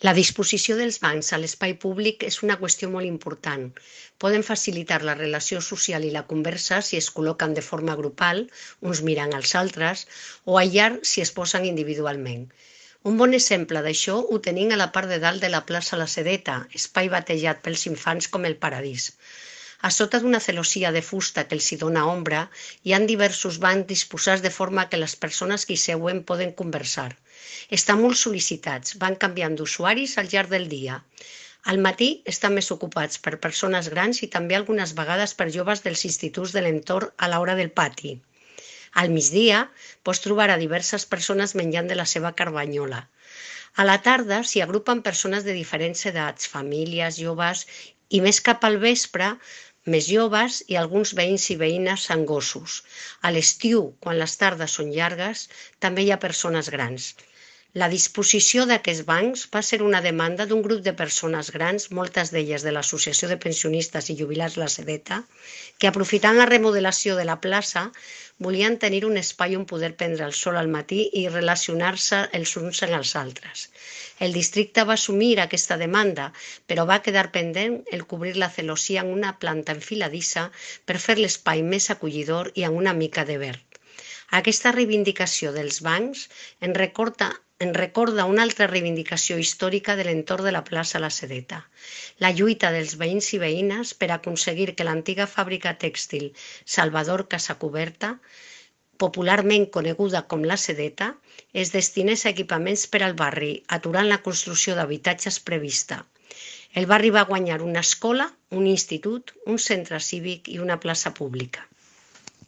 La disposició dels bancs a l'espai públic és una qüestió molt important. Poden facilitar la relació social i la conversa si es col·loquen de forma grupal, uns mirant als altres, o aïllar si es posen individualment. Un bon exemple d'això ho tenim a la part de dalt de la plaça La Sedeta, espai batejat pels infants com el Paradís. A sota d'una celosia de fusta que els hi dona ombra, hi ha diversos bancs disposats de forma que les persones que hi seuen poden conversar. Estan molt sol·licitats, van canviant d'usuaris al llarg del dia. Al matí estan més ocupats per persones grans i també algunes vegades per joves dels instituts de l'entorn a l'hora del pati. Al migdia pots trobar a diverses persones menjant de la seva carbanyola. A la tarda s'hi agrupen persones de diferents edats, famílies, joves i més cap al vespre, més joves i alguns veïns i veïnes amb gossos. A l'estiu, quan les tardes són llargues, també hi ha persones grans. La disposició d'aquests bancs va ser una demanda d'un grup de persones grans, moltes d'elles de l'Associació de Pensionistes i Jubilats La Sedeta, que aprofitant la remodelació de la plaça volien tenir un espai on poder prendre el sol al matí i relacionar-se els uns amb els altres. El districte va assumir aquesta demanda, però va quedar pendent el cobrir la celosia en una planta enfiladissa per fer l'espai més acollidor i amb una mica de verd. Aquesta reivindicació dels bancs en recorda una altra reivindicació històrica de l'entorn de la plaça La Sedeta, la lluita dels veïns i veïnes per aconseguir que l'antiga fàbrica tèxtil Salvador Casacuberta, popularment coneguda com La Sedeta, es destinés a equipaments per al barri, aturant la construcció d'habitatges prevista. El barri va guanyar una escola, un institut, un centre cívic i una plaça pública.